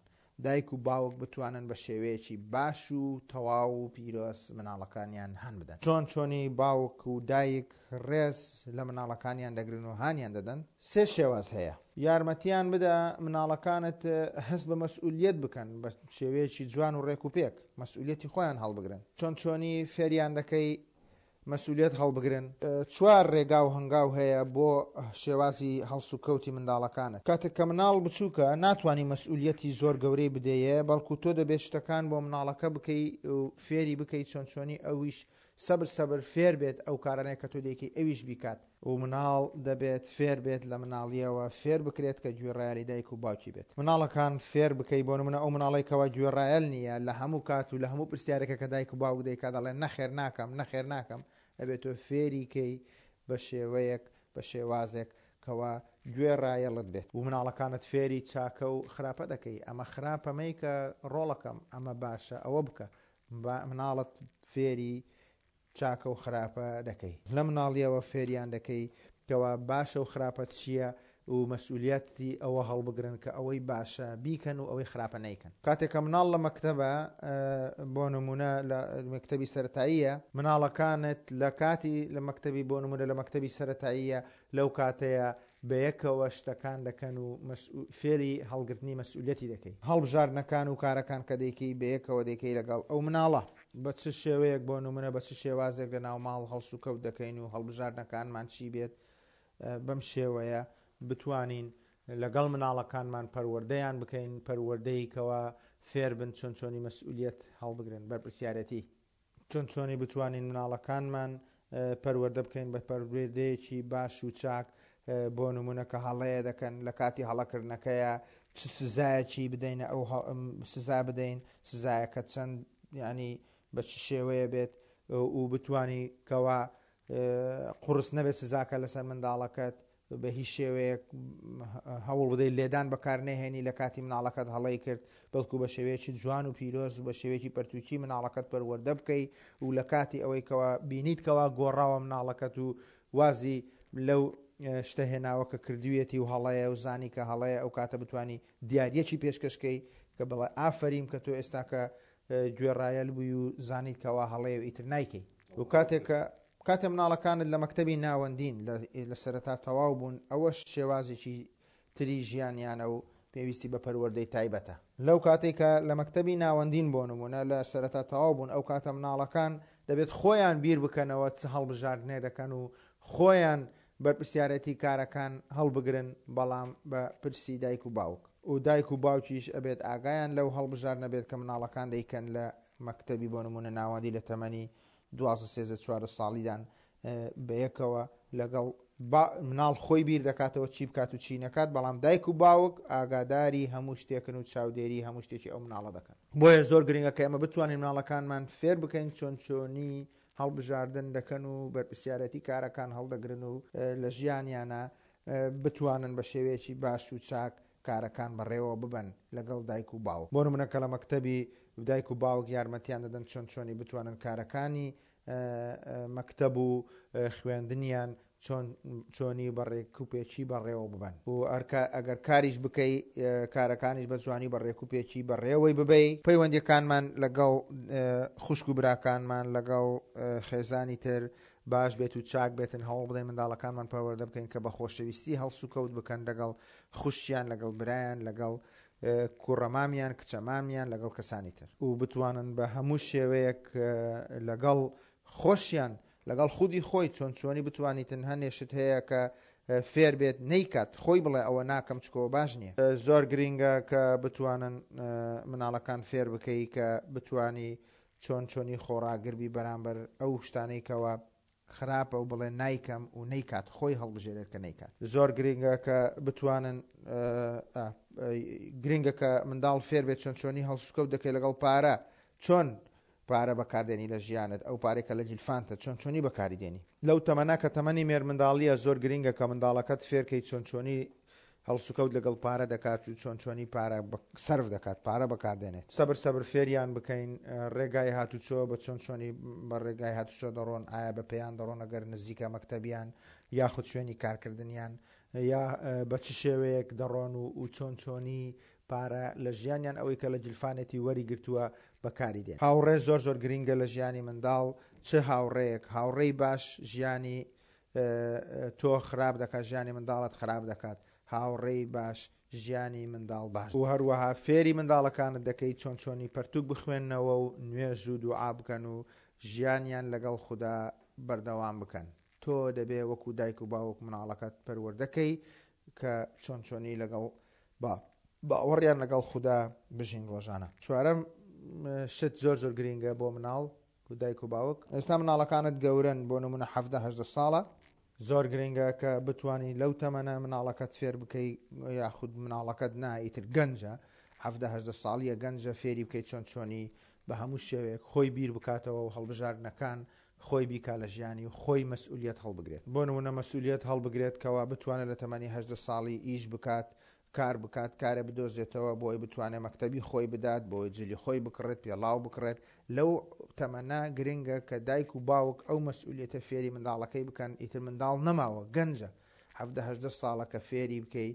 دایک و باوک بتوانن بە شێوەیەکی باش و تەواو و پیرۆز مناڵەکانیان هان بدەن. چۆن چۆنی باوک و دایک ڕێز لە مناڵەکانیان دەگرن و هانیان دەدەن؟ سێ شێواز هەیە. یارمەتیان بدە مناڵەکانت هەست بە مەسئولیەت بکەن بە شێوەیەکی جوان و ڕێک و پێک مەسئولیەتی خۆیان هەڵبگرن. چۆن چۆنی فێریان دەکەی مەسئولیەت هەڵبگرن. چوار ڕێگا و هەنگاو هەیە بۆ شێوازی هەڵسوکەوتی منداڵەکانت. کاتێک کە مناڵ بچووکە ناتوانی مەسئولیەتی زۆر گەورەی بدەیێ بەڵکو تۆ دەبێت شتەکان بۆ مناڵەکە بکەی و فێری بکەی چۆن چۆنی ئەویش سەبر سەبر فێر بێت ئەو کارانەی کە تۆ دەیکەی ئەویش بیکات. و مناڵ دەبێت فێر بێت لە مناڵیەوە فێر بکرێت کە گوێڕایەلی دایک و باوکی بێت. مناڵەکان فێر بکەی بۆ نمونە ئەو مناڵەی کەوا گوێڕایەل نیە لە هەموو کات و لە هەموو پرسیارێکە کە دایک و باوک دەیکا دەڵێ نەخێر ناکەم نەخێر ناکەم ئەبێت تۆ فێری کەی بە شێوەیەک بە شێوازێک کەوا گوێڕایەڵت بێت. و مناڵەکانت فێری چاکە و خراپە دەکەی ئەمە خراپە مەیکە ڕۆڵەکەم ئەمە باشە ئەوە بکە با مناڵت فێری چاکە و خراپە دەکەی. لە مناڵیەوە فێریان دەکەی کەوا باشە و خراپە چیە و مەسئولیەتی ئەوە هەڵبگرن کە ئەوەی باشە بیکەن و ئەوەی خراپە نەیکەن. کاتێک کە مناڵ لە مەکتەبە بۆ نمونە لە مەکتەبی سەرەتاییە، مناڵەکانت لە کاتی لە مەکتەبی بۆ نمونە لە مەکتەبی سەرەتاییە لەو کاتەیە بەیەکەوە شتەکان دەکەن و فێری هەڵگرتنی مەسئولیەتی دەکەی. هەڵبژاردنەکان و کارەکان کە دەیکەی بەیەکەوە دەیکەی لەگەڵ ئەو مناڵە. بە چ شێوەیەک بۆ نمونە بە چ شێوازێک لە ناو ماڵ هەڵسوکەوت دەکەین و هەڵبژاردنەکانمان چی بێت بەم شێوەیە بتوانین لەگەڵ مناڵەکانمان پەروەردەیان بکەین پەروەردەی کەوا فێربن چۆن چۆنی مەسئولیەت هەڵبگرن بەرپرسیارێتی. چۆن چۆنی بتوانین مناڵەکانمان پەروەردە بکەین بە پەروەردەیەکی باش و چاک بۆ نمونە کە هەڵەیە دەکەن لە کاتی هەڵەکردنەکەیە چ سزایەکی بدەینە ئەو سزا بدەین سزایەکە چەند ینی بە چ شێوەیە بێت و بتانی کەوا قورس نەبێت سزاکە لەسەر منداڵەکەت بە هیچ شێوەیەک هەوڵ بدەیت لێدان بەکار نەهێنی لە کاتی مناڵەکەت هەڵەی کرد، بەڵکو بە شێوەیەکی جوان و پیرۆز و بە شێوەیەکی پەرتووکی مناڵەکەت پەروەردە بکەی و لە کاتی ئەوەی کەوا بینیت کەوا گۆڕاوە مناڵەکەت و وازی لەو شتە هێناوە کە کردوویەتی و هەڵەیە و زانی کە هەڵەیە ئەو کاتە بتانی دیاریەکی پێشکەش کەی کە بڵێ ئافەریم کە تۆ ئێستاکە گوێڕایەل بووی و زانیت کەوا هەڵەیە و ئیتر نایکەی. و کاتێک کە کاتێ مناڵەکانت لە مەکتەبی ناوەندین لە سەرەتا تەواو بوون ئەوەش شێوازێکی تری ژیانیانە و پێویستی بە پەروەردەی تایبەتە. لەو کاتەی کە لە مەکتەبی ناوەندین بۆ نموونە لە سەرەتا تەواو بوون ئەو کاتە مناڵەکان دەبێت خۆیان بیر بکەنەوە چ هەڵبژاردنێ دەکەن و خۆیان بەرپرسیارێتی کارەکان هەڵبگرن بەڵام بە پرسی دایک و باوک و دایک و باوکیش ئەبێت ئاگایان لەو هەڵبژاردنە بێت کە مناڵەکان دەیکەن لە مەکتەبی بۆ نموونە ناوەندی لە تەمەنی 12 سێزدە 14 ساڵیدان بەیەکەوە لەگەڵ با مناڵ خۆی بیر دەکاتەوە چی بکات و چی نەکات بەڵام دایک و باوک ئاگاداری هەموو شتێکن و چاودێری هەموو شتێکی ئەو مناڵە دەکەن. بۆیە زۆر گرنگە کە ئێمە بتوانین مناڵەکانمان فێر بکەین چۆن چۆنی هەڵبژاردن دەکەن و بەرپرسیارێتی کارەکان هەڵدەگرن و لە ژیانیانا بتوانن بە شێوەیەکی باش و چاک کارەکان بەڕێوە ببەن لەگەڵ دایک و باوک. بۆ نمونە کە لە مەکتەبی دایک و باوک یارمەتیان دەدەن چۆن چۆنی بتوانن کارەکانی مەکتەب و خوێندنیان چۆن چۆنی بە ڕێکوپێکی بەڕێوە ببەن و ئەگەر کاریش بکەی کارەکانیش بە جوانی بە ڕێکوپێکی بەڕێوەی ببەی. پەیوەندیەکانمان لەگەڵ خوشک و براکانمان لەگەڵ خێزانی تر باش بێت و چاک بێتن هەوڵ بدەین منداڵەکانمان پەروەردە بکەین کە بە خۆشەویستی هەڵسوکەوت بکەن لەگەڵ خوشکیان لەگەڵ برایان لەگەڵ کوڕەمامیان کچەمامیان لەگەڵ کەسانی تر و بتوانن بە هەموو شێوەیەک لەگەڵ خۆشیان لەگەڵ خودی خۆی چۆن چۆنی بتوانیتن هەنێ شت هەیە کە فێر بێت نەیکات خۆی بڵێ ئەوە ناکەم چکەوە باش نییە. زۆر گرینگە کە بتوانن مناڵەکان فێر بکەی کە بتوانی چۆن چۆنی خۆڕاگر بی بەرامبەر ئەو شتانەی کەوا خراپە و بڵێ نایکەم و نەیکات خۆی هەڵبژێرێت کە نەیکات. زۆر گرینگە کە بتوانن گرینگە کە منداڵ فێر بێت چۆن چۆنی هەڵسوکەوت دەکەی لەگەڵ پارە چۆن. پارە بەکاردێنی لە ژیانت، ئەو پارەی کە لە گیرفانتە چۆن چۆنی بەکاری دێنی. لەو تەمەنە کە تەمەنی مێرمنداڵییە زۆر گرینگە کە منداڵەکەت فێرکەی چۆن چۆنی هەڵسوکەوت لەگەڵ پارە دەکات و چۆن چۆنی پارە سەرف دەکات، پارە بەکاردێنێت. سەبر سەبر فێریان بکەین ڕێگای هاتوچۆ بە چۆن چۆنی بە ڕێگای هاتوچۆ دەڕۆن، ئایا بە پێیان دەڕۆن ئەگەر نزیکە مەکتەبیان یاخود شوێنی کارکردنیان یا بە چ شێوەیەک دەڕۆن و چۆن چۆنی پارە لە ژیانیان ئەوەی کە لە گیرفانێتی وەری گرتووە بەکاری دێن. هاوڕێ زۆر زۆر گرینگە لە ژیانی منداڵ، چ هاوڕێیەک، هاوڕێی باش ژیانی تۆ خراپ دەکات ژیانی منداڵت خراپ دەکات، هاوڕێی باش ژیانی منداڵ باش و هەروەها فێری منداڵەکانت دەکەی چۆن چۆنی پەرتوک بخوێننەوە و نوێژ و دوعا بکەن و ژیانیان لەگەڵ خودا بەردەوام بکەن. تۆ دەبێ وەکو دایک و باوک مناڵەکەت پەروەردە کەی کە چۆن چۆنی لەگەڵ با باوەڕیان لەگەڵ خودا بژین ڕۆژانە. چوارەم شت زۆر زۆر گرینگە بۆ مناڵ و دایک و باوک. ئێستا مناڵەکانت گەورەن بۆ نمونە 17 18 ساڵە. زۆر گرینگە کە بتوانی لەو تەمەنە مناڵەکەت فێر بکەی یاخود مناڵەکەت نا ئیتر گەنجە 17 18 ساڵیە گەنجە فێری بکەی چۆن چۆنی بە هەموو شێوەیەک خۆی بیر بکاتەوە و هەڵبژاردنەکان خۆی بیکا لە ژیانی و خۆی مەسئولیەت هەڵبگرێت. بۆ نموونە مەسئولیەت هەڵبگرێت کەوا بتوانێت لە تەمەنی 18 ساڵی ئیش بکات، کار بکات، کارێ بدۆزێتەوە بۆی بتوانێت مەکتەبی خۆی بدات، بۆی جلی خۆی بکڕێت، پێڵاو بکڕێت. لەو تەمەنە گرنگە کە دایک و باوک ئەو مەسئولیەتە فێری منداڵەکەی بکەن، ئیتر منداڵ نەماوە، گەنجە، 17 18 ساڵە کە فێری بکەی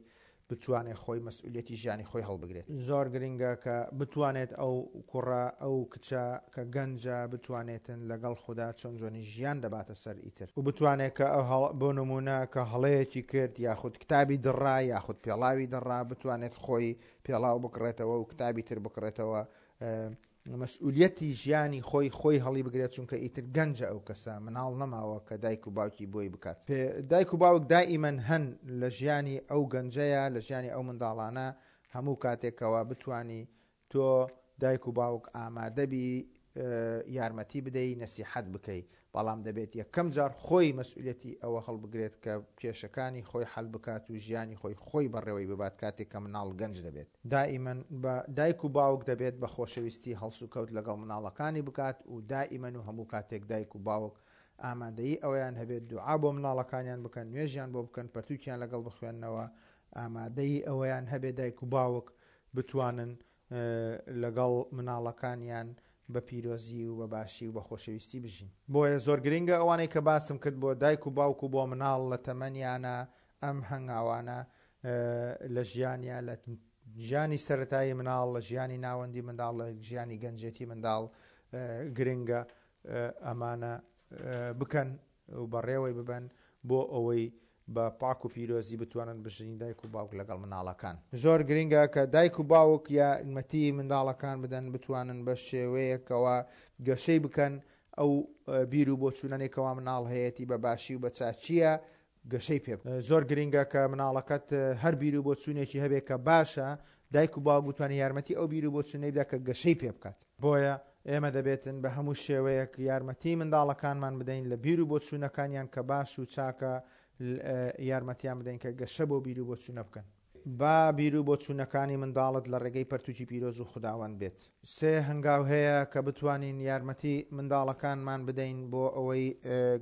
بتوانێت خۆی مەسئولیەتی ژیانی خۆی هەڵبگرێت. زۆر گرنگە کە بتوانێت ئەو کوڕە ئەو کچە کە گەنجە بتوانێتن لەگەڵ خودا چۆن جۆنی ژیان دەباتە سەر ئیتر و بتوانێت کە بۆ نمونە کە هەڵەیەکی کرد یاخود کتابی دڕا یاخود پێڵاوی دڕا بتوانێت خۆی پێڵاو بکڕێتەوە و کتابی تر بکڕێتەوە مەسئولیەتی ژیانی خۆی خۆی هەڵی بگرێت چونکە ئیتر گەنجە ئەو کەسە مناڵ نەماوە کە دایک و باوکی بۆی بکات دایک و باوک دائیمەن هەن لە ژیانی ئەو گەنجەیە لە ژیانی ئەو منداڵانە هەموو کاتێکەوە بتانی تۆ دایک و باوک ئامادەبی یارمەتی بدەی نەسیحەت بکەی بەڵام دەبێت یەکەم جار خۆی مەسئولیەتی ئەوە هەڵبگرێت کە کێشەکانی خۆی حەل بکات و ژیانی خۆی خۆی بەڕێوەی ببات کاتێک کە مناڵ گەنج دەبێت. دائیمەن بە دایک و باوک دەبێت بە خۆشەویستی هەڵسوکەوت لەگەڵ مناڵەکانی بکات و دائیمەن و هەموو کاتێک دایک و باوک ئامادەیی ئەوەیان هەبێت دوعا بۆ مناڵەکانیان بکەن نوێژیان بۆ بکەن پەرتوکیان لەگەڵ بخوێننەوە ئامادەیی ئەوەیان هەبێت دایک و باوک بتوانن لەگەڵ مناڵەکانیان بە پیرۆزی و بە باشی و بە خۆشەویستی بژین. بۆیە زۆر گرینگە ئەوانەی کە باسم کرد بۆ دایک و باوک و بۆ مناڵ لە تەمەنیانە ئەم هەنگاوانە لە ژیانیا لە ژیانی سەرەتایی مناڵ لە ژیانی ناوەندی منداڵ لە ژیانی گەنجێتی منداڵ گرنگە ئەمانە بکەن و بەڕێوەی ببەن بۆ ئەوەی بە پاک و پیرۆزی بتوانن بژین دایک و باوک لەگەڵ مناڵەکان. زۆر گرنگە کە دایک و باوک یارمەتی منداڵەکان بدەن بتوانن بە شێوەیەکەوە گەشەی بکەن ئەو بیر و بۆچوونانەی کەوا مناڵ هەیەتی بە باشی و بە چاکییە گەشەی پێ بکەن. زۆر گرنگە کە مناڵەکەت هەر بیر و بۆچوونێکی هەبێت کە باشە دایک و باوک بتوانێت یارمەتی ئەو بیر و بۆچوونەی بدا کە گەشەی پێ بکات. بۆیە ئێمە دەبێتن بە هەموو شێوەیەک یارمەتی منداڵەکانمان بدەین لە بیر و بۆچوونەکانیان کە باش و چاکە یارمەتیان بدەین کە گەشە بۆ بیر و بۆچوونە بکەن. با بیر و بۆچوونەکانی منداڵت لە ڕێگەی پەرتوکی پیرۆز و خوداوەند بێت. سێ هەنگاو هەیە کە بتوانین یارمەتی منداڵەکانمان بدەین بۆ ئەوەی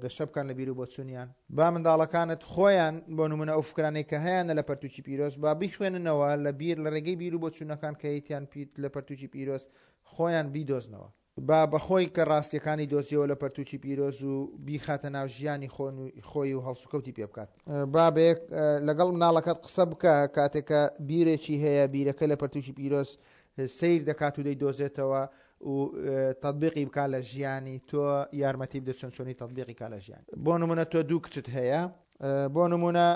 گەشە بکەن لە بیر و بۆچوونیان. با منداڵەکانت خۆیان بۆ نموونە ئەو فکرانەی کە هەیانە لە پەرتوکی پیرۆز با بیخوێننەوە لە بیر لە ڕێگەی بیر و بۆچوونەکان کە هەیتیان لە پەرتوکی پیرۆز خۆیان بیدۆزنەوە. با بەخۆی کە ڕاستیەکانی دۆزیەوە لە پەرتوکی پیرۆز و بیخاتە ناو ژیانی خۆی و هەڵسوکەوتی پێ بکات. با بەیەک لەگەڵ مناڵەکەت قسە بکە کاتێک کە بیرێکی هەیە بیرەکە لە پەرتوکی پیرۆز سەیر دەکات و دەیدۆزێتەوە و تەتبیقی بکا لە ژیانی تۆ یارمەتی بدە چۆن چۆنی تەتبیقی کا لە ژیان. بۆ نمونە تۆ دوو کچت هەیە بۆ نمونە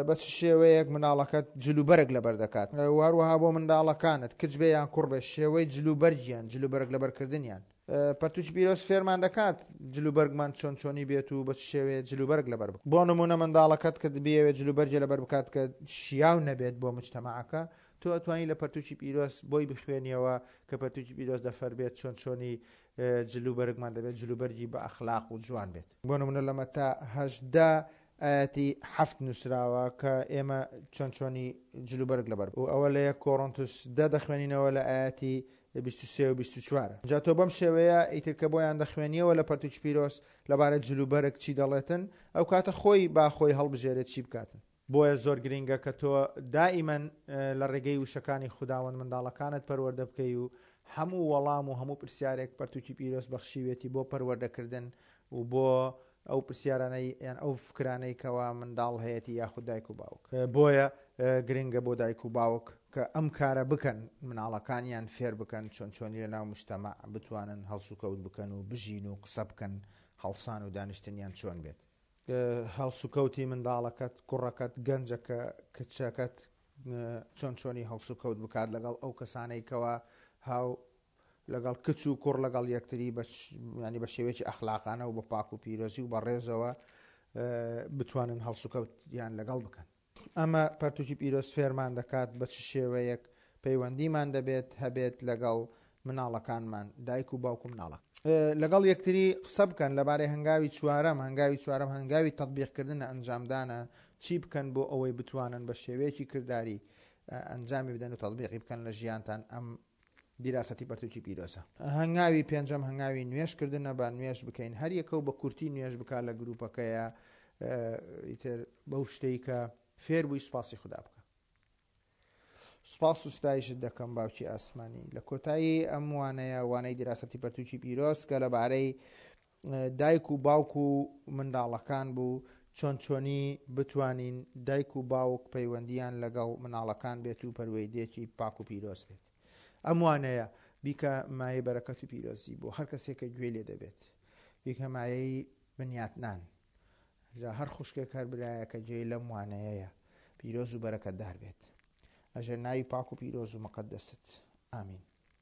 بە چ شێوەیەک مناڵەکەت جلوبەرگ لەبەر دەکات و هەروەها بۆ منداڵەکانت کچ بێ یان کوڕ بێ شێوەی جلوبەرگیان جلوبەرگ لەبەرکردنیان پەرتوکی پیرۆز فێرمان دەکات جلوبەرگمان چۆن چۆنی بێت و بە چ شێوەیە جلوبەرگ لەبەر بکەین. بۆ نمونە منداڵەکەت کە بیەوێت جلوبەرگێ لەبەر بکات کە شیاو نەبێت بۆ مجتەماعەکە تۆ ئەتوانی لە پەرتوکی پیرۆز بۆی بخوێنیەوە کە پەرتوکی پیرۆز دەفەرمێت چۆن چۆنی جلوبەرگمان دەبێت جلوبەرگی بە ئەخلاق و جوان بێت. بۆ نمونە لە مەتا 18 ئایەتی حەفت نووسراوە کە ئێمە چۆن چۆنی جلوبەرگ لەبەر و ئەوە لە یەک کۆرۆنتوس دە دەخوێنینەوە لە ئایەتی 23 و 24. جا تۆ بەم شێوەیە ئیتر کە بۆیان دەخوێنیەوە لە پەرتوکی پیرۆز لەبارەی جلوبەرگ چی دەڵێتن، ئەو کاتە خۆی با خۆی هەڵبژێرێت چی بکاتن. بۆیە زۆر گرینگە کە تۆ دائیمەن لە ڕێگەی وشەکانی خوداوەند منداڵەکانت پەروەردە بکەی و هەموو وەڵام و هەموو پرسیارێک پەرتوکی پیرۆز بەخشیوێتی بۆ پەروەردەکردن و بۆ ئەو پرسیارانەی یان ئەو فکرانەی کەوا منداڵ هەیەتی یاخود دایک و باوک. بۆیە گرنگە بۆ دایک و باوک کە ئەم کارە بکەن مناڵەکانیان فێر بکەن چۆن چۆنی لە ناو مجتەمەع بتوانن هەڵسوکەوت بکەن و بژین و قسە بکەن هەڵسان و دانیشتنیان چۆن بێت. هەڵسوکەوتی منداڵەکەت، کوڕەکەت، گەنجەکە، کچەکەت چۆن چۆنی هەڵسوکەوت بکات لەگەڵ ئەو کەسانەی کەوا هاو لەگەڵ کچ و کوڕ لەگەڵ یەکتری ینی بە شێوەیەکی ئەخلاقانە و بە پاک و پیرۆزی و بە ڕێزەوە بتوانن هەڵسوکەوتیان لەگەڵ بکەن. ئەمە پەرتوکی پیرۆز فێرمان دەکات بە چ شێوەیەک پەیوەندیمان دەبێت هەبێت لەگەڵ مناڵەکانمان، دایک و باوک و مناڵەکان. لەگەڵ یەکتری قسە بکەن لەبارەی هەنگاوی چوارەم، هەنگاوی چوارەم هەنگاوی تەتبیقکردنە، ئەنجامدانە، چی بکەن بۆ ئەوەی بتوانن بە شێوەیەکی کرداری ئەنجامی بدەن و تەتبیقی بکەن لە ژیانتان ئەم دیراسەتی پەرتوکی پیرۆزە. هەنگاوی پێنجەم هەنگاوی نوێژ کردنە، با نوێژ بکەین هەر یەکە و بە کورتی نوێژ بکا لە گروپەکەیا ئیتر بەو شتەی کە فێر بووی سوپاسی خودا بکە. سوپاس و ستایشت دەکەم باوکی ئاسمانی. لە کۆتایی ئەم وانەیە وانەی دیراسەتی پەرتوکی پیرۆز کە لەبارەی دایک و باوک و منداڵەکان بوو، چۆن چۆنی بتوانین دایک و باوک پەیوەندییان لەگەڵ مناڵەکان بێت و پەروەیدەیەکی پاک و پیرۆز بێت. ئەم وانەیە بیکە مایەی بەرەکەت و پیرۆزی بۆ هەر کەسێک کە گوێی لێ دەبێت. بیکە مایەی بنیاتنان. جا هەر خوشکێک هەر برایەک کە گوێی لەم وانەیەیە پیرۆز و بەرەکەتدار بێت. لەژێر ناوی پاک و پیرۆز و مقەدەست. ئامین.